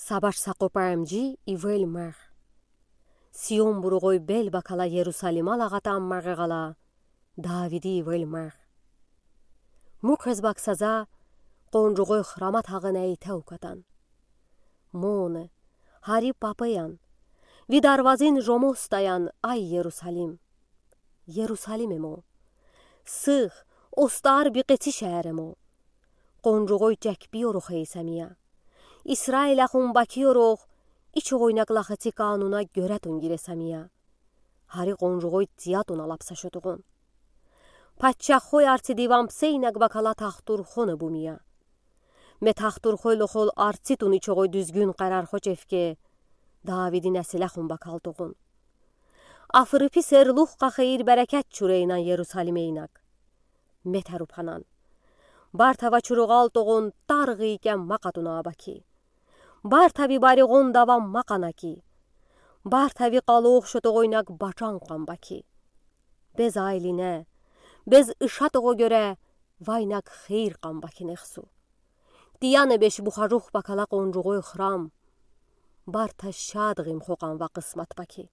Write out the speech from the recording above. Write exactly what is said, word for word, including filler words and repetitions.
Сабаш сақопа эмджи ивел мег. Сион буругой бел бакала Ерусалима лағатан мег гала, Давиди ивел мег. Муквез баксаза, къонжугой храма тагын эйтеу катан. Моне, гьари папаян, ви дарвазин жомос таян, ай Ерусалим. Ерусалим эмо. Сыв, остар бикъеци шеэр эмо. Къонжугой чекпиёр хейсамия. Исраил ахун бакиёр, ичогойнаг лахеци кануна гёре тун гиресамия. Гьари къонжугой тиятуна лапсашотугун. Паччахой арци диван псейнаг бакала тахтурхоне бумия. Ме тахтурхой лохол арци тун ичогой дуьзгюн къарархо чевке, Давиди несилехун бакалтугун. Африпи серлух къахейир берекет чурейнан Ерусалимейнаг. Ме тарупанан. Барта ва чуругъалтугун таргъи кем макъатуна баки. Барта ви баригъун дава макъана ки. Барта ви къалух шотугойнаг бачан къан баки. Без айлине, без ишатугу гёре, вайнаг хейир къан баки нехсу. Тияне беш бухажух бакала къонжугой храм. Барта шад гъим хокъан ва къысмат баки.